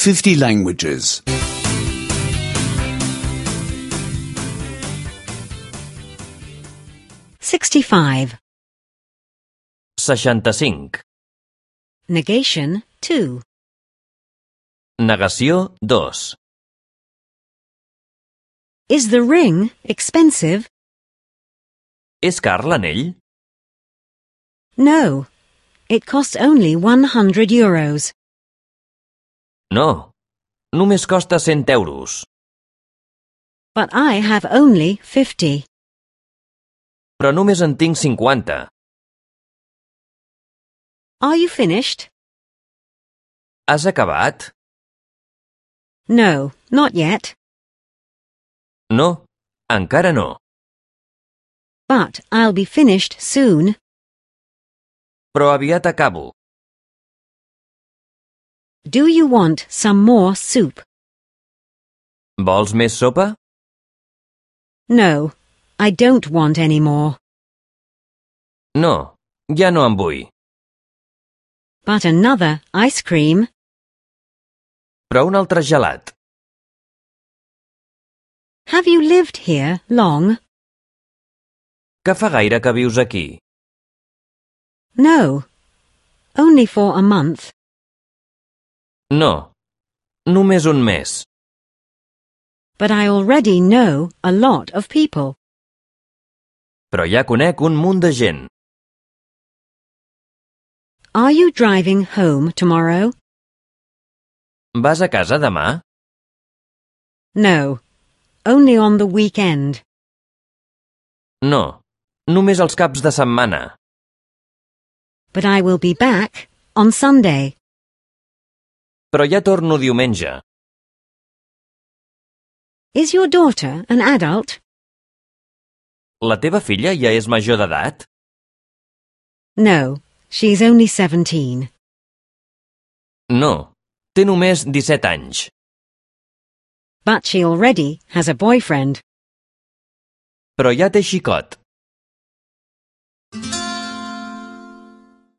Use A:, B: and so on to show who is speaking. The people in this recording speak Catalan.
A: 50 languages.
B: 65.
C: 65.
B: Negation 2.
C: Negació 2.
B: Is the ring expensive?
C: És car l'anell?
B: No. It costs only €100.
C: No. Només costa 100 euros.
B: But I have only 50.
C: Però només en tinc 50.
B: Are you finished?
C: Has acabat?
B: No, not yet.
C: No, encara no.
B: But I'll be finished soon.
C: Però aviat acabo.
B: Do you want some more soup?
C: Vols més sopa?
B: No, I don't want any more.
C: No, ja no en vull.
B: But another ice cream?
C: Però un altre gelat.
B: Have you lived here long?
C: Que fa gaire que vius aquí?
B: No, only for a month.
C: No, només un mes.
B: But I already know a lot of people.
C: Però ja conec un munt de gent.
B: Are you driving home tomorrow?
C: Vas a casa demà?
B: No, only on the weekend.
C: No, només els caps de setmana.
B: But I will be back on Sunday.
C: Però ja torno diumenge.
B: Is your daughter an adult?
C: La teva filla ja és major d'edat?
B: No, she's only 17.
C: No, té només 17 anys.
B: But she already has a boyfriend.
C: Però ja té xicot.